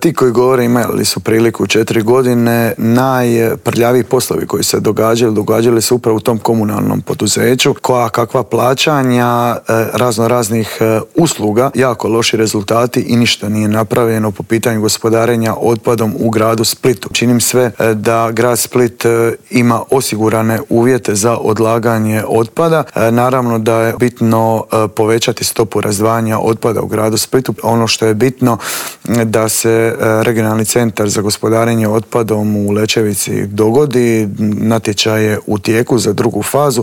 Ti koji govore imali su priliku 4 godine, najprljaviji poslovi koji se događali se upravo u tom komunalnom poduzeću, kakva plaćanja raznih usluga, jako loši rezultati i ništa nije napravljeno po pitanju gospodarenja otpadom u gradu Splitu. Činim sve da grad Split ima osigurane uvjete za odlaganje otpada. Naravno da je bitno povećati stopu razdvajanja otpada u gradu Splitu. Ono što je bitno da se regionalni centar za gospodarenje otpadom u Lećevici dogodi, natječaj je u tijeku za drugu fazu